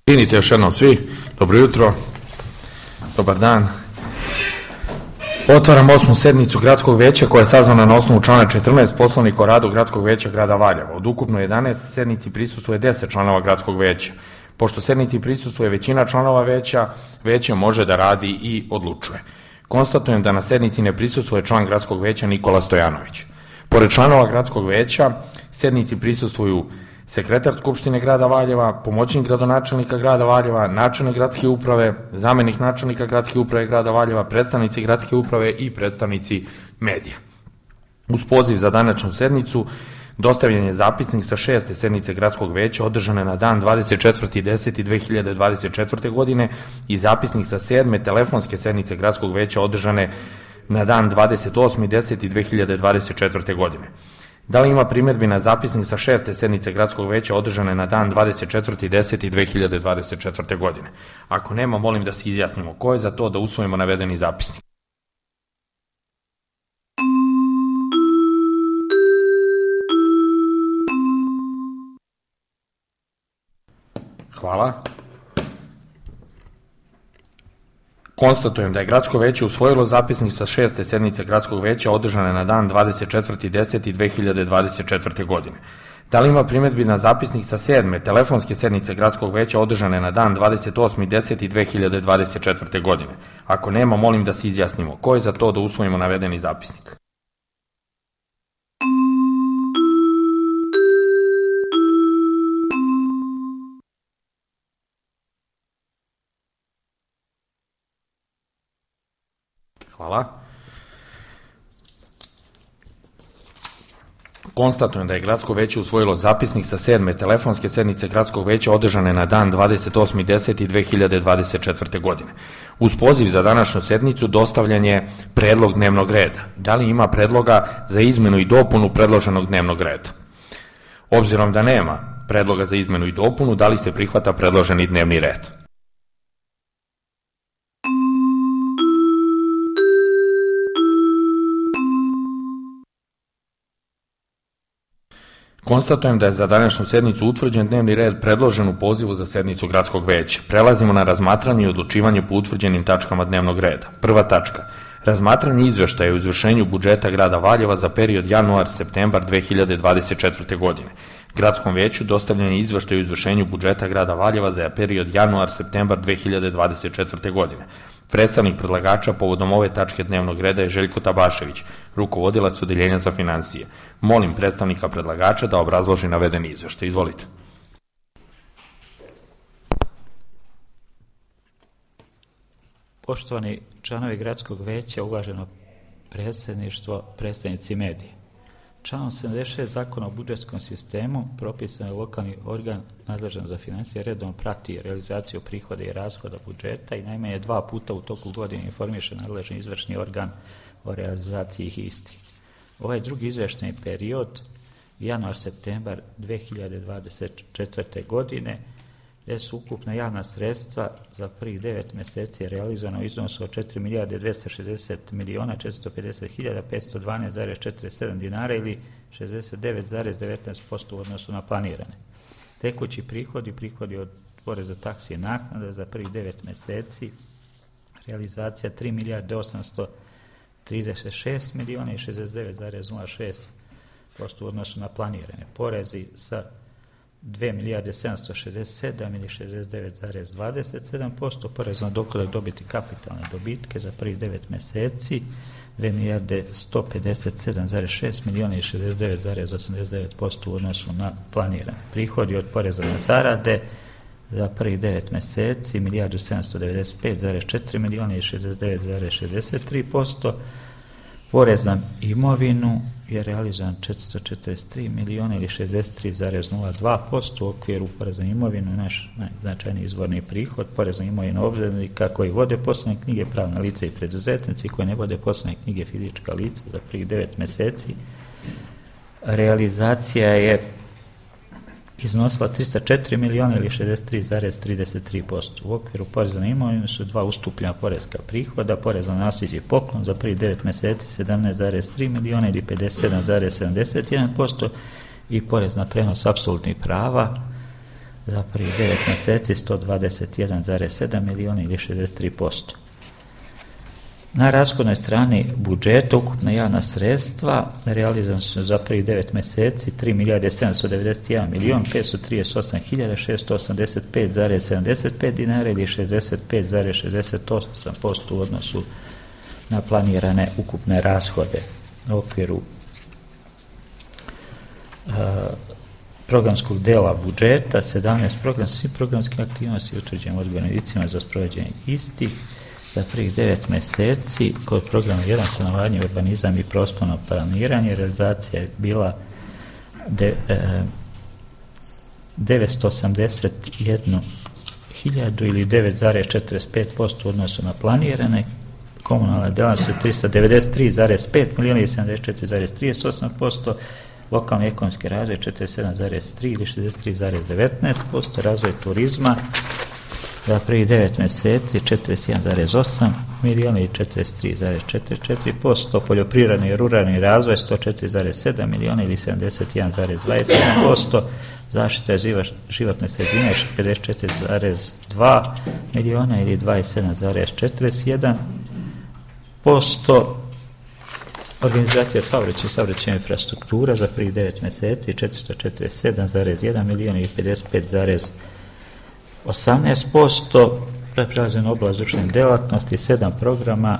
Vidite još jednom svi, dobro jutro, dobar dan. Otvaram 8. sednicu Gradskog veća koja je sazvana na osnovu člana 14 Poslovnika o radu Gradskog veća grada Valjeva. Od ukupno 11 sednici prisustvuje 10 članova Gradskog veća. Pošto sednici prisustvuje većina članova veća, veće može da radi i odlučuje. Konstatujem da na sednici ne prisustvuje član Gradskog veća Nikola Stojanović. Pored članova Gradskog veća, sednici prisustvuju sekretar Skupštine grada Valjeva, pomoćnik gradonačelnika grada Valjeva, načelnik gradske uprave, zamenik načelnika gradske uprave grada Valjeva, predstavnici gradske uprave i predstavnici medija. Uz poziv za današnju sednicu dostavljen je zapisnik sa 6. sednice Gradskog veća održane na dan 24.10.2024. godine i zapisnik sa 7. telefonske sednice Gradskog veća održane na dan 28.10.2024. godine. Da li ima primjedbi na zapisnik sa 6. sednice Gradskog veća održane na dan 24.10.2024. godine? Ako nema, molim da se izjasnimo. Ko je za to da usvojimo navedeni zapisnik? Hvala. Konstatujem da je Gradsko veće usvojilo zapisnik sa 6. sednice Gradskog veća održane na dan 24.10.2024. godine. Da li ima primjedbi na zapisnik sa 7. telefonske sednice Gradskog veća održane na dan 28.10.2024. godine? Ako nema, molim da se izjasnimo. Ko je za to da usvojimo navedeni zapisnik? Hvala. Konstatujem da je Gradsko veće usvojilo zapisnik sa 7. telefonske sednice Gradskog veća održane na dan 28.10.2024. godine. Uz poziv za današnju sednicu dostavljen je predlog dnevnog reda. Da li ima predloga za izmenu i dopunu predloženog dnevnog reda? Obzirom da nema predloga za izmenu i dopunu, da li se prihvata predloženi dnevni red? Konstatujem da je za današnju sednicu utvrđen dnevni red predložen u pozivu za sednicu Gradskog veća. Prelazimo na razmatranje i odlučivanje po utvrđenim tačkama dnevnog reda. Prva tačka. Razmatranje izveštaja o izvršenju budžeta grada Valjeva za period januar-septembar 2024. godine. Gradskom veću dostavljen je izveštaj o izvršenju budžeta grada Valjeva za period januar-septembar 2024. godine. Predstavnik predlagača povodom ove tačke dnevnog reda je Željko Tabašević, rukovodilac Odeljenja za finansije. Molim predstavnika predlagača da obrazloži navedeni izveštaj. Izvolite. Poštovani članovi Gradskog veća, uvaženo predsjedništvo, predstavnici medija. Članom 76 Zakona o budžetskom sistemu propisan je lokalni organ nadležan za financije redom prati realizaciju prihoda i rashoda budžeta i najmanje 2 puta u toku godine informiše nadležni izvršni organ o realizaciji istih. Ovaj drugi izveštajni period, januar-septembar 2024. godine, gdje su ukupna javna sredstva za prvih 9 mjeseci realizovana u iznosu od 4.260.550.512,47 dinara ili 69,19% u odnosu na planirane. Tekući prihodi od poreza, taksi i naknada za prvih 9 mjeseci realizacija 3.836 miliona i 69,06% u odnosu na planirane. Porezi sa 2.767 ili 69,27%, porez na dohodak dobiti kapitalne dobitke za prvih 9 mjeseci 2.157,6 miliona i 69,89% u odnosu na planirane. Prihodi od poreza na zarade za prvih 9 mjeseci 1.795,4 miliona i 69,63%. Porez na imovinu je realizovan 443 miliona ili 63,02%. U okviru poreza na imovinu naš najznačajniji izvorni prihod, porez na imovinu obveznika koji vode poslovne knjige, pravna lica i preduzetnici koji ne vode poslovne knjige, fizička lica za prvih 9 mjeseci. Realizacija je iznosila 304 miliona ili 63,33%. U okviru poreza na imovinu su 2 ustupljena porezka prihoda, porez na nasljeđe i poklon za prvih 9 mjeseci 17,3 miliona ili 57,71% i porez na prenos apsolutnih prava za prvih 9 mjeseci 121,7 milijuna ili 63%. Na rashodnoj strani budžeta ukupna javna sredstva realizirana su za prvih 9 mjeseci 3 milijarde 791 milijon 538 hiljada 685,75 dinara ili 65,68% u odnosu na planirane ukupne rashode. U okviru programskog dela budžeta 17 svih programskih aktivnosti utvrđenim odgovornim licima za sprovođenje istih. Za prvih 9 mjeseci kod programa 1 stanovanje, urbanizam i prostorno planiranje realizacija je bila 981 hiljadu ili 9,45% u odnosu na planirane. Komunalne djelatnosti 393,5 milijuna i 74,38%, lokalni ekonomski razvoj 47,3 ili 63,19%, razvoj turizma za prvih 9 mjeseci 41,8 milijuna i 43,44%, poljoprivredni i ruralni razvoj 104,7 milijuna ili 71,27%, zaštita životne sredine 54,2 milijuna ili 27,41%, organizacija saobraćajne infrastruktura za prvih 9 mjeseci 447,1 milijun i 55,18%, prelazim na oblast društvene djelatnosti, 7 programa,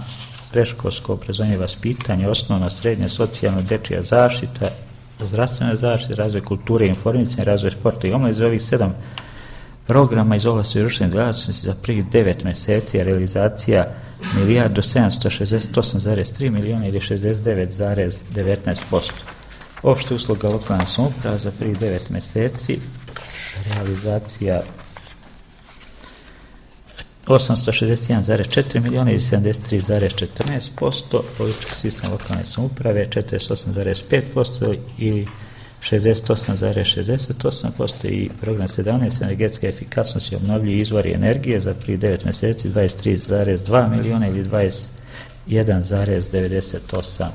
predškolsko obrazovanje i vaspitanje, osnovna, srednja, socijalna, dečija zaštita, zdravstvena zaštita, razvoj kulture i informisanja, razvoj sporta i omladine. Za ovih 7 programa iz oblasti društvene djelatnosti za prvih 9 mjeseci je realizacija milijardu 768,3 milijuna ili 69,19%. Opšte usluga lokalna samouprava za prvih 9 mjeseci realizacija 861,4 milijuna ili 73,14%, politički sistem lokalne samouprave 48,5% ili 68,68% i program 17 energetska efikasnost i obnovljivi izvori energije za prvih 9 mjeseci 23,2 milijuna ili 21,98%.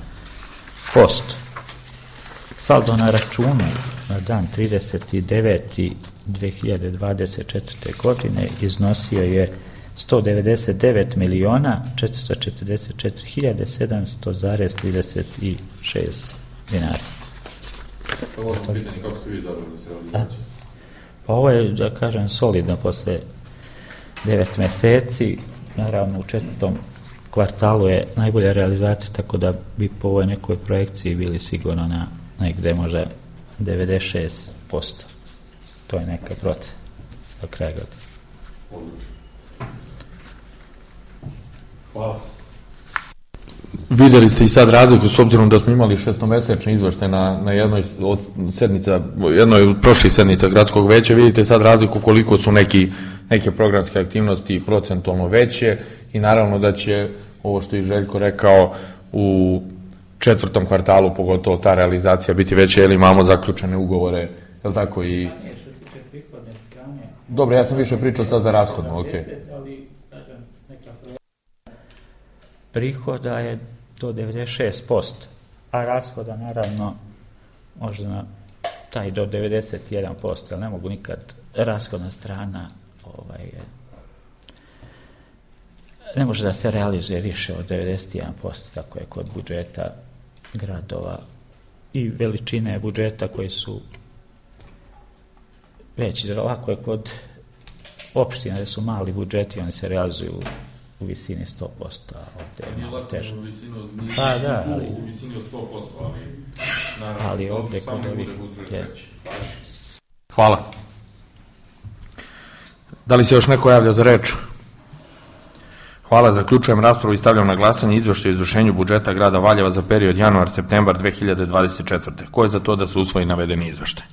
Saldo na računu na dan 39.2024. godine iznosio je 199 milijuna 444 hiljade 700,36 dinara. Ovo pitanje, kako ste vi zadovoljni s realizacijom? Pa ovo je, da kažem, solidno posle 9 mjeseci, naravno u 4. kvartalu je najbolja realizacija, tako da bi po ovoj nekoj projekciji bili sigurno na negde možda 96%. To je neka procena do kraja godine. Odlično. Hvala. Vidjeli ste i sad razliku, s obzirom da smo imali 6-mesečni izveštaj na jednoj od sednica, jednoj od prošlih sednica gradskog veća, vidite sad razliku koliko su neke programske aktivnosti procentualno veće i naravno da će, ovo što je Željko rekao, u 4. kvartalu pogotovo ta realizacija biti veća, jer imamo zaključene ugovore, je li tako i... Dobro, ja sam više pričao sad za rashodno, ok. Prihoda je do 96%, a rashoda naravno možda taj do 91%, ali ne mogu nikad rashodna strana ne može da se realizuje više od 91%, tako je kod budžeta gradova i veličine budžeta koji su veći. Lako je kod opština da su mali budžeti, oni se realizuju u visini 100%, a ovdje je malo teže. Pa da, ali... U visini od 100%, ali ovdje kod ovih je... Hvala. Da li se još neko javlja za reč? Hvala, zaključujem raspravu i stavljam na glasanje izveštaj o izvršenju budžeta grada Valjeva za period januar-septembar 2024. Ko je za to da se usvoji navedeni izveštaj?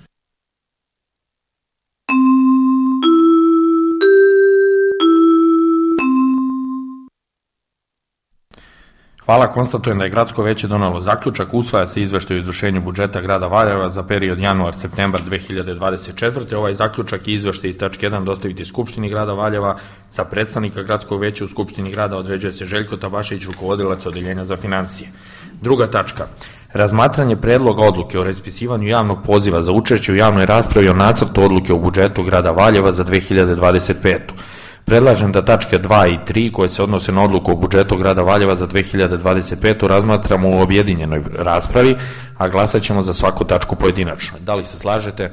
Hvala, konstatujem da je gradsko veće donelo zaključak, usvaja se izveštaj o izvršenju budžeta grada Valjeva za period januar-septembar 2024. Ovaj zaključak i izveštaj iz tačke 1 dostaviti Skupštini grada Valjeva. Za predstavnika gradskog veća u Skupštini grada određuje se Željko Tabašević, rukovodilac odeljenja za finansije. Druga tačka. Razmatranje predloga odluke o raspisivanju javnog poziva za učešće u javnoj raspravi o nacrtu odluke o budžetu grada Valjeva za 2025. Predlažem da tačke 2 i 3 koje se odnose na odluku o budžetu grada Valjeva za 2025. razmatramo u objedinjenoj raspravi, a glasat ćemo za svaku tačku pojedinačno. Da li se slažete?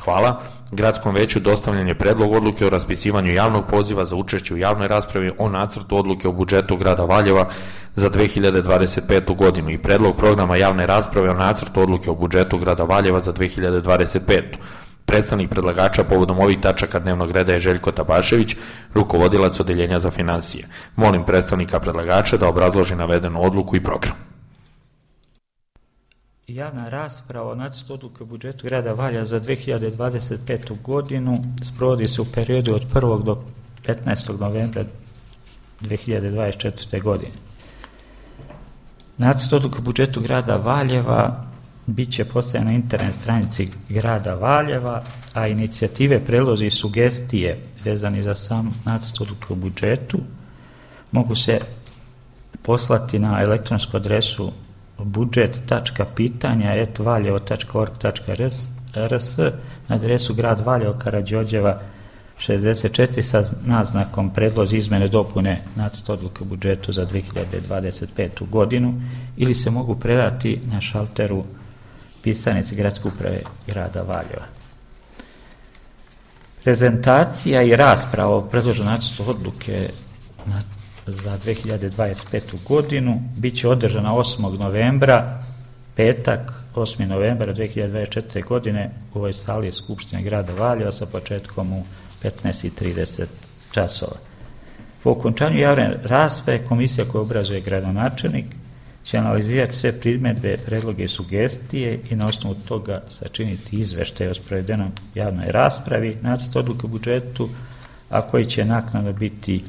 Hvala. Gradskom veću dostavljen je predlog odluke o raspisivanju javnog poziva za učešće u javnoj raspravi o nacrtu odluke o budžetu grada Valjeva za 2025. godinu i predlog programa javne rasprave o nacrtu odluke o budžetu grada Valjeva za 2025. Predstavnik predlagača povodom ovih tačaka dnevnog reda je Željko Tabašević, rukovodilac odeljenja za finansije. Molim predstavnika predlagača da obrazloži navedenu odluku i program. Javna rasprava o nacrtu odluke o budžetu grada Valjeva za 2025. godinu sprovodi se u periodu od 1. do 15. novembra 2024. godine. Nacrt odluke o budžetu grada Valjeva bit će postavljen na internet stranici grada Valjeva, a inicijative, predlozi i sugestije vezani za sam nacrt odluke o budžetu mogu se poslati na elektronsku adresu budžet.pitanja@valjevo.org.rs na adresu grad Valjevo, Karađorđeva 64 sa naznakom predlozi izmene dopune nacrta odluke o budžetu za 2025. godinu ili se mogu predati na šalteru pisarnici Gradske uprave grada Valjeva. Prezentacija i rasprava o predloženom nacrtu odluke za 2025. godinu bit će održana 8. novembra, petak, 8. novembra 2024. godine u ovoj sali Skupštine grada Valjeva sa početkom u 15:30 časova. Po okončanju javne rasprave komisija koja obrazuje gradonačelnik će analizirati sve primjedbe, predloge i sugestije i na osnovu toga sačiniti izveštaj o sprovedenoj javnoj raspravi nacrt odluke o budžetu, a koji će naknadno biti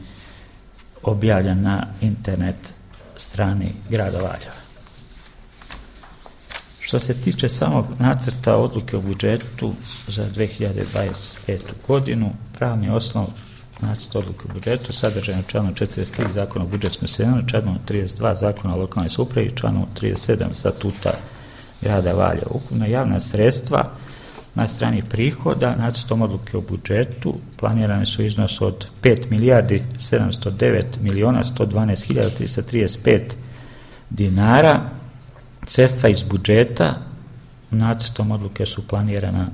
objavljen na internet strani grada Valjeva. Što se tiče samog nacrta odluke o budžetu za 2025. godinu, pravni osnov nacrta odluke o budžetu sadržan u članu 43 Zakona o budžetskom sistemu, članu 32 Zakona o lokalnoj samoupravi i članu 37 Statuta grada Valjeva. Ukupna javna sredstva na strani prihoda nacrtom odluke o budžetu planirane su iznos od 5.709.112.335 dinara. Sredstva iz budžeta nacrtom odluke su planirana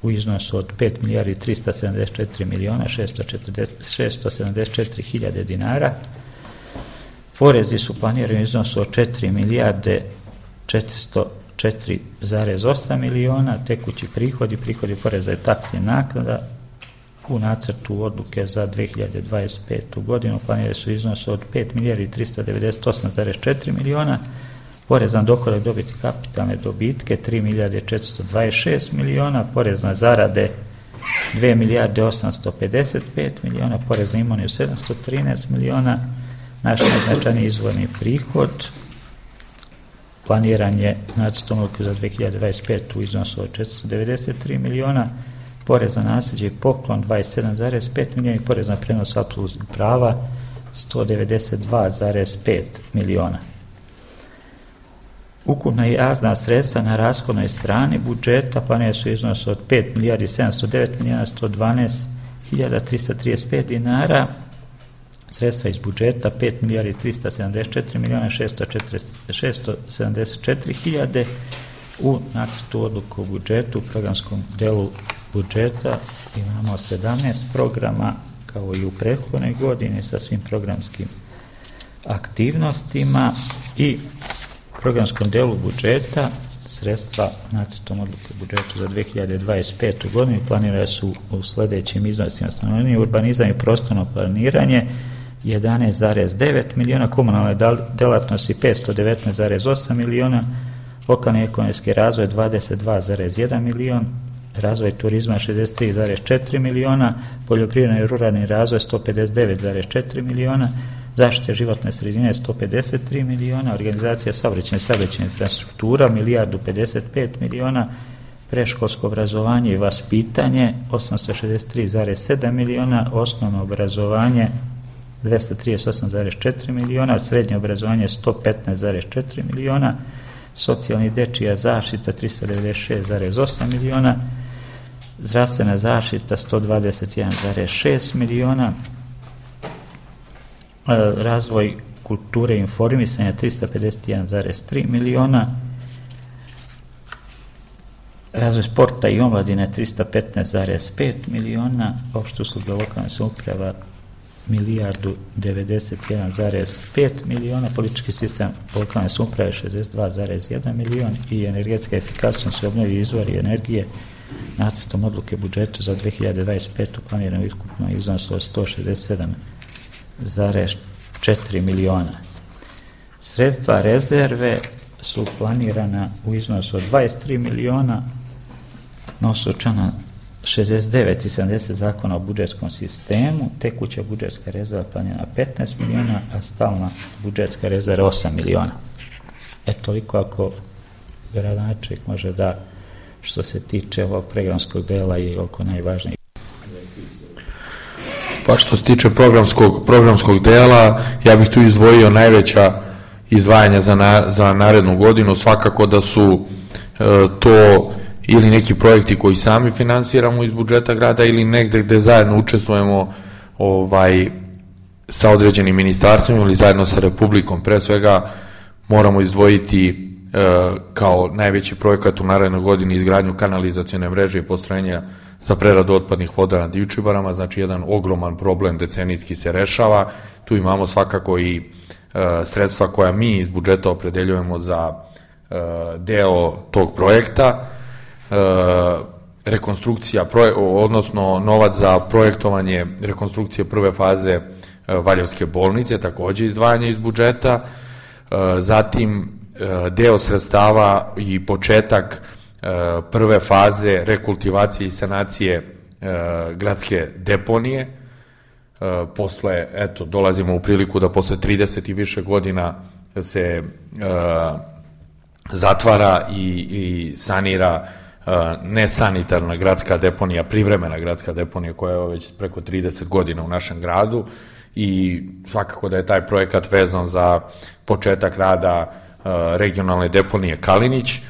u iznosu od 5.374.674.000 dinara. Porezi su planirani u iznosu od 4.404,8 miliona, tekući prihodi poreza i taksi i naknada u nacrtu odluke za 2025. godinu planirani su iznos od 5.398,4 miliona, porez na dohodak dobiti kapitalne dobitke 3.426 miliona, porez na zarade 2.855 miliona, porez na imovinu 713 miliona. Naš najznačajniji izvorni prihod planiran je nacrtom odluke za 2025. u iznosu od 493 miliona, porez na nasljeđe i poklon 27,5 miliona i porez na prenos apsolutnih prava 192,5 miliona. Ukupna javna sredstva na rashodnoj strani budžeta planirana su iznos od 5.709.112.335 dinara, sredstva iz budžeta 5.374.674.000 u nacrtu odluku o budžetu. U programskom delu budžeta imamo 17 programa kao i u prethodnoj godini sa svim programskim aktivnostima i programskom delu budžeta sredstva nacrtom odluke o budžetu za 2025. godinu planirane su u sledećim iznosima: stanovanje, urbanizam i prostorno planiranje 11,9 miliona, komunalne delatnosti 519,8 miliona, lokalni ekonomski razvoj 22,1 milion, razvoj turizma 63,4 miliona, poljoprivredni i ruralni razvoj 159,4 miliona, zaštite životne sredine 153 miliona, organizacija saobraćajne infrastruktura 1.055 miliona, predškolsko obrazovanje i vaspitanje 863,7 miliona, osnovno obrazovanje 238,4 miliona, srednje obrazovanje 115,4 miliona, socijalni i dečija zaštita 396,8 miliona, zdravstvena zaštita 121,6 miliona, razvoj kulture i informisanja 351,3 miliona, razvoj sporta i omladine 315,5 miliona, opšte usluge lokalne samouprava milijardu 91,5 miliona, politički sistem lokalne samouprave 62,1 milion i energetska efikasnost i obnovljivi izvori energije nacrtom odluke budžeta za 2025. planirano ukupno iznos od 167,4 miliona. Sredstva rezerve su planirana u iznosu od 23 miliona na osnovu člana 69 i 70 zakona o budžetskom sistemu, tekuća budžetska rezerva planirana 15 miliona, a stalna budžetska rezerva 8 miliona. Toliko ako gradonačelnik može da što se tiče ovog programskog dela i oko najvažnijih. Pa što se tiče programskog dela, ja bih tu izdvojio najveća izdvajanja za narednu godinu, svakako da su to ili neki projekti koji sami finansiramo iz budžeta grada ili negde gde zajedno učestvujemo sa određenim ministarstvom ili zajedno sa Republikom. Pre svega moramo izdvojiti kao najveći projekat u narednoj godini izgradnju kanalizacione mreže i postrojenja za preradu otpadnih voda na Divčibarama, znači jedan ogroman problem decenijski se rešava. Tu imamo svakako i sredstva koja mi iz budžeta opredeljujemo za deo tog projekta, rekonstrukcija, odnosno novac za projektovanje rekonstrukcije prve faze Valjevske bolnice, takođe izdvajanje iz budžeta, zatim deo sredstava i početak prve faze rekultivacije i sanacije gradske deponije. Posle, dolazimo u priliku da posle 30 i više godina se zatvara i sanira nesanitarna gradska deponija, privremena gradska deponija koja je već preko 30 godina u našem gradu i svakako da je taj projekat vezan za početak rada regionalne deponije Kalinić.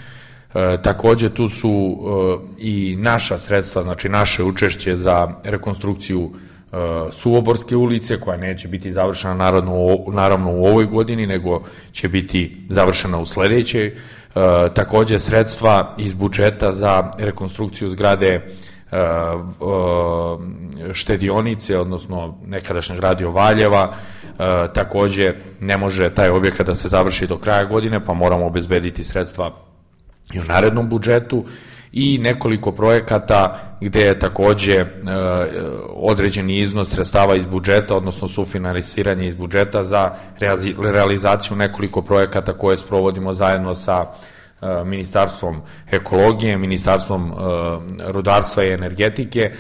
Takođe tu su i naša sredstva, znači naše učešće za rekonstrukciju Suvoborske ulice, koja neće biti završena naravno u ovoj godini, nego će biti završena u sledećoj. Takođe sredstva iz budžeta za rekonstrukciju zgrade štedionice, odnosno nekadašnjeg Radio Valjeva. Takođe ne može taj objekat da se završi do kraja godine, pa moramo obezbediti sredstva i u narednom budžetu i nekoliko projekata gde je takođe određeni iznos sredstava iz budžeta, odnosno sufinansiranje iz budžeta za realizaciju nekoliko projekata koje sprovodimo zajedno sa Ministarstvom ekologije, Ministarstvom rudarstva i energetike,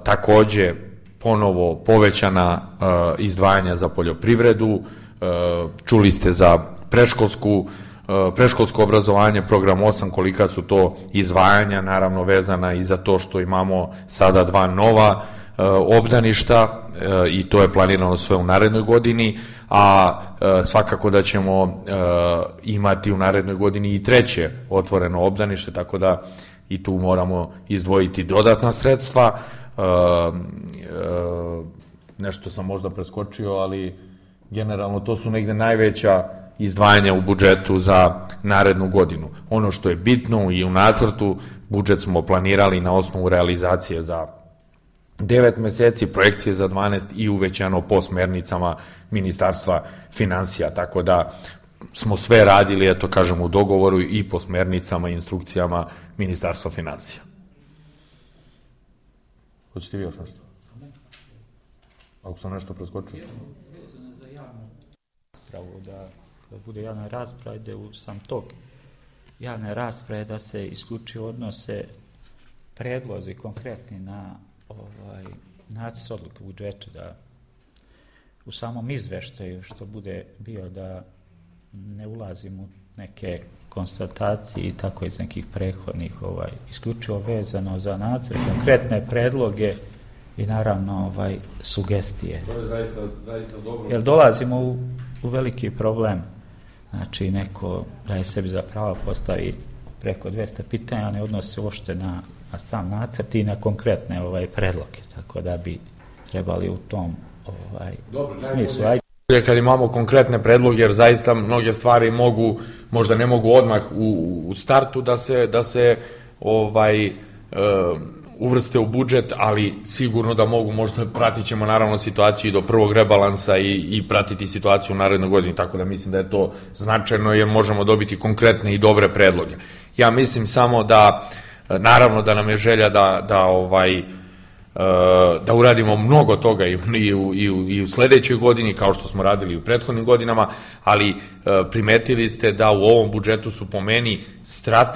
takođe ponovo povećana izdvajanja za poljoprivredu, čuli ste za predškolsko obrazovanje, program 8, kolika su to izdvajanja, naravno vezana i za to što imamo sada 2 nova obdaništa i to je planirano sve u narednoj godini, a svakako da ćemo imati u narednoj godini i 3. otvoreno obdanište, tako da i tu moramo izdvojiti dodatna sredstva. Nešto sam možda preskočio, ali generalno to su negde najveća izdvajanja u budžetu za narednu godinu. Ono što je bitno i u nacrtu, budžet smo planirali na osnovu realizacije za 9 meseci, projekcije za 12 i uvećano po smernicama Ministarstva finansija, tako da smo sve radili, u dogovoru i po smernicama i instrukcijama Ministarstva finansija. Hoćete vi još nešto? Ako sam nešto preskočio? Vezano za javnu raspravu, da bude javna rasprava, ide u sam tok javne rasprave, da se isključivo odnose predlozi konkretni na nacrt odluke budžeta, da u samom izveštaju što bude bio, da ne ulazim u neke konstatacije i tako iz nekih prethodnih, isključivo vezano za nacrt, konkretne predloge i naravno sugestije. To je zaista dobro. Jer dolazimo u veliki problem znači neko daje sebi za pravo postavi preko 200 pitanja, ne odnosi se uopšte na sam nacrt i na konkretne predloge, tako da bi trebali u tom smislu. Kad imamo konkretne predloge, jer zaista mnoge stvari možda ne mogu odmah u startu da se uvrste u budžet, ali sigurno da mogu, možda pratit ćemo naravno situaciju i do prvog rebalansa i pratiti situaciju u narednoj godini, tako da mislim da je to značajno jer možemo dobiti konkretne i dobre predloge. Ja mislim samo da, naravno da nam je želja da uradimo mnogo toga i u sledećoj godini, kao što smo radili u prethodnim godinama, ali primetili ste da u ovom budžetu su po meni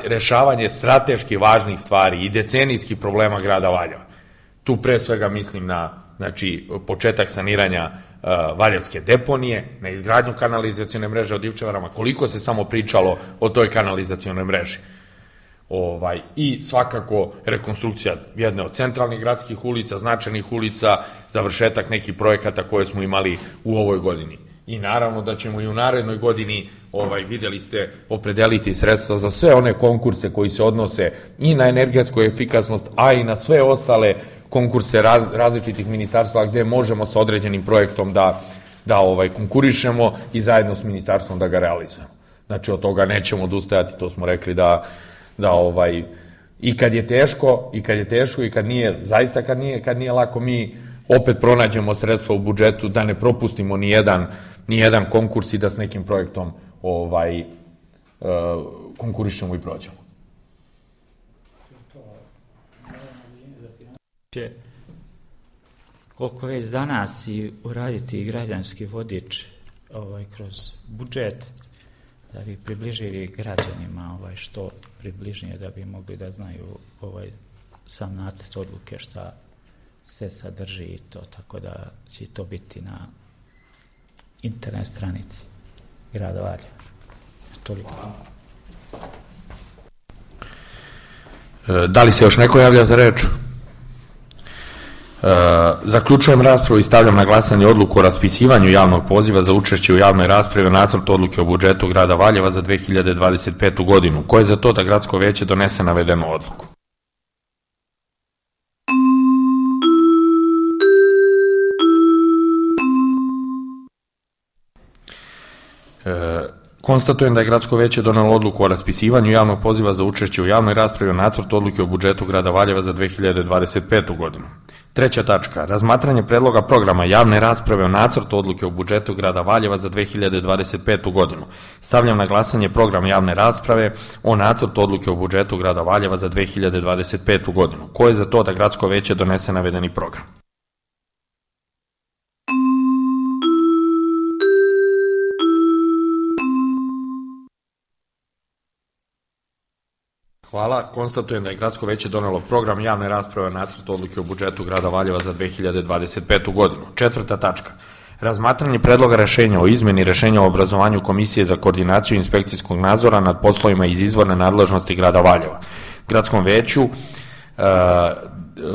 rešavanje strateški važnih stvari i decenijskih problema grada Valjeva. Tu pre svega mislim na početak saniranja Valjevske deponije, na izgradnju kanalizacione mreže od Divčevarama, koliko se samo pričalo o toj kanalizacionoj mreži. I svakako rekonstrukcija jedne od centralnih gradskih ulica, značajnih ulica, završetak nekih projekata koje smo imali u ovoj godini. I naravno da ćemo i u narednoj godini, videli ste, opredeliti sredstva za sve one konkurse koji se odnose i na energetsku efikasnost, a i na sve ostale konkurse različitih ministarstva gde možemo sa određenim projektom da konkurišemo i zajedno s ministarstvom da ga realizujemo. Znači od toga nećemo odustajati, to smo rekli da i kad je teško i kad nije, zaista kad nije lako, mi opet pronađemo sredstva u budžetu da ne propustimo ni jedan konkurs i da s nekim projektom konkurišemo i prođemo. Koliko već za nas i uraditi građanski vodič kroz budžet, da bi približili građanima što približnije, da bi mogli da znaju sam nacrt odluke šta se sadrži i to, tako da će to biti na internet stranici grada Valjeva. Toliko. Da li se još neko javlja za reč? Zaključujem raspravu i stavljam na glasanje odluku o raspisivanju javnog poziva za učešće u javnoj raspravi o nacrtu odluke o budžetu grada Valjeva za 2025. godinu. Ko je za to da gradsko veće donese navedenu odluku? Konstatujem da je gradsko veće donelo odluku o raspisivanju javnog poziva za učešće u javnoj raspravi o nacrtu odluke o budžetu grada Valjeva za 2025. godinu. Treća tačka. Razmatranje predloga programa javne rasprave o nacrtu odluke o budžetu grada Valjeva za 2025. godinu. Stavljam na glasanje program javne rasprave o nacrtu odluke o budžetu grada Valjeva za 2025. godinu. Ko je za to da gradsko veće donese navedeni program? Hvala. Konstatujem da je gradsko veće donelo program javne rasprave o nacrtu odluke o budžetu grada Valjeva za 2025. godinu. Četvrta tačka. Razmatranje predloga rešenja o izmeni rešenja o obrazovanju Komisije za koordinaciju inspekcijskog nadzora nad poslovima iz izvorne nadležnosti grada Valjeva. Gradskom veću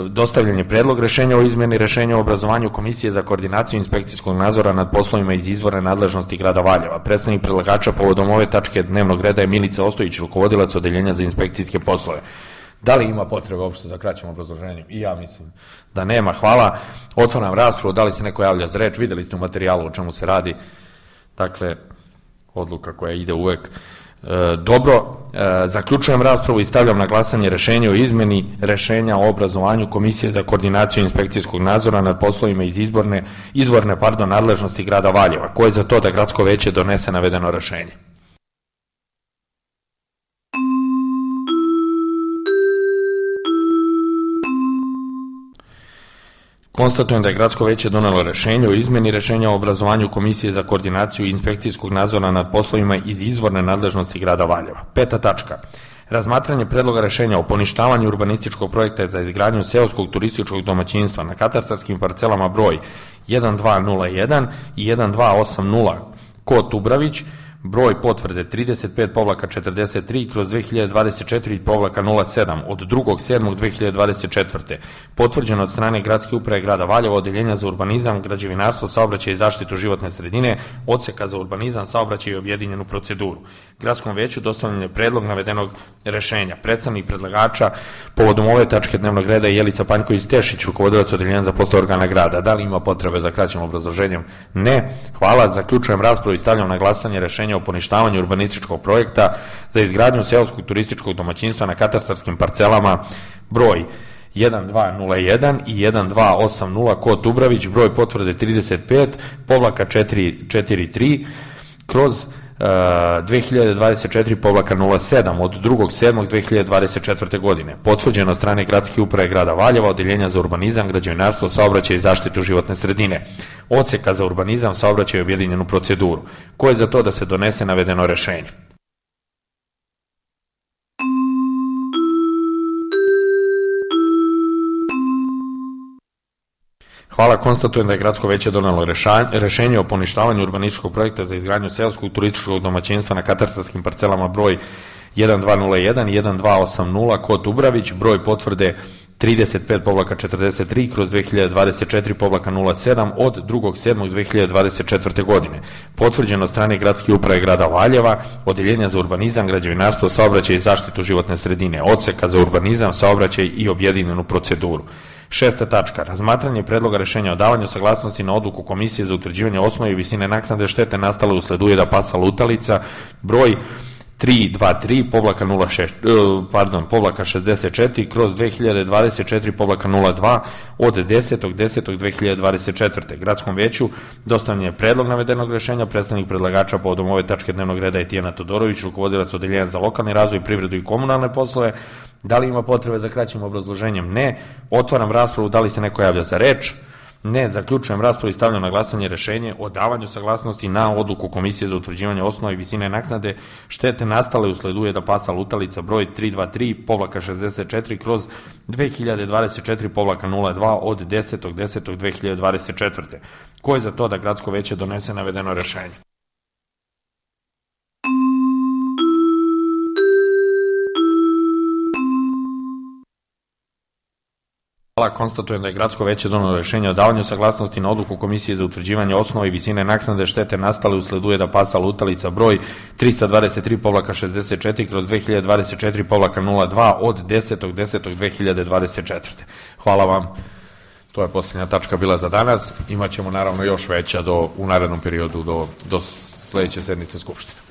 dostavljen je predlog rešenja o izmeni rešenja o obrazovanju Komisije za koordinaciju inspekcijskog nadzora nad poslovima iz izvorne nadležnosti grada Valjeva. Predstavnik predlagača povodom ove tačke dnevnog reda je Milica Ostojić, rukovodilac odeljenja za inspekcijske poslove. Da li ima potrebe uopšte za kraćim obrazloženjem? I ja mislim da nema. Hvala. Otvaram raspravu. Da li se neko javlja za reč? Videli ste u materijalu o čemu se radi. Dakle, odluka koja ide uvek. Dobro, zaključujem raspravu i stavljam na glasanje rešenje o izmeni rešenja o obrazovanju Komisije za koordinaciju inspekcijskog nadzora nad poslovima iz izvorne nadležnosti grada Valjeva. Ko je za to da gradsko veće donese navedeno rešenje? Konstatujem da je gradsko veće donelo rešenje o izmeni rešenja o obrazovanju Komisije za koordinaciju inspekcijskog nadzora nad poslovima iz izvorne nadležnosti grada Valjeva. Peta tačka. Razmatranje predloga rešenja o poništavanju urbanističkog projekta za izgradnju seoskog turističkog domaćinstva na katastarskim parcelama broj 1201 i 1280 Kot Ubravić broj potvrde 35-43/2024-07 od 2.7.2024. potvrđeno od strane Gradske uprave grada Valjeva, Odeljenja za urbanizam, građevinarstvo, saobraćaj i zaštitu životne sredine, Odseka za urbanizam, saobraćaj i objedinjenu proceduru. Gradskom veću dostavljen je predlog navedenog rešenja. Predstavnik predlagača povodom ove tačke dnevnog reda je Jelica Panjković-Tešić, rukovodilac Odeljenja za poslove organa grada. Da li ima potrebe za kraćim obrazloženjem? Ne. Hvala. Zaključujem raspravu i stavljam na glasanje rešenje o poništavanju urbanističkog projekta za izgradnju seoskog turističkog domaćinstva na katastarskim parcelama broj 1201 i 1280 kod Dubravić, broj potvrde 35-443 kroz 2024-07 od 2.7.2024. godine. Potvrđeno od strane Gradske uprave grada Valjeva, Odeljenja za urbanizam, građevinarstvo, saobraćaj i zaštitu životne sredine, Odseka za urbanizam, saobraćaj i objedinjenu proceduru. Ko je za to da se donese navedeno rešenje? Hvala, konstatujem da je Gradsko veće donelo rešenje o poništavanju urbanističkog projekta za izgradnju seoskog turističkog domaćinstva na katastarskim parcelama broj 1201 i 1280 kod Dubravić, broj potvrde 35-43/2024-07 od 2.7.2024. godine. Potvrđeno od strane Gradske uprave grada Valjeva, Odeljenja za urbanizam, građevinarstvo, saobraćaj i zaštitu životne sredine, Odseka za urbanizam, saobraćaj i objedinjenu proceduru. 6. tačka. Razmatranje predloga rešenja o davanju saglasnosti na odluku Komisije za utvrđivanje osnove i visine naknade štete nastale usled ujeda pasa lutalica broj 323-64 kroz 2024-02 od 10.10.2024. Gradskom veću dostavljen je predlog navedenog rešenja. Predstavnik predlagača povodom ove tačke dnevnog reda je Tijana Todorović, rukovodilac Odeljenja za lokalni razvoj, privredu i komunalne poslove. Da li ima potrebe za kraćim obrazloženjem? Ne. Otvaram raspravu. Da li se neko javlja za reč? Ne. Zaključujem raspravu i stavljam na glasanje rešenje o davanju saglasnosti na odluku Komisije za utvrđivanje osnove i visine naknade štete nastale usled ujeda pasa lutalica broj 323-64 kroz 2024-02 od 10.10.2024. Ko je za to da Gradsko veće donese navedeno rešenje? Hvala, konstatujem da je Gradsko veće donelo rešenje o davanju saglasnosti na odluku Komisije za utvrđivanje osnove i visine naknade štete nastale usled ujeda pasa lutalica broj 323-64 kroz 2024-02 od 10.10.2024. Hvala vam. To je posljednja tačka bila za danas. Imaćemo naravno još veća u narednom periodu do sledeće sednice Skupštine.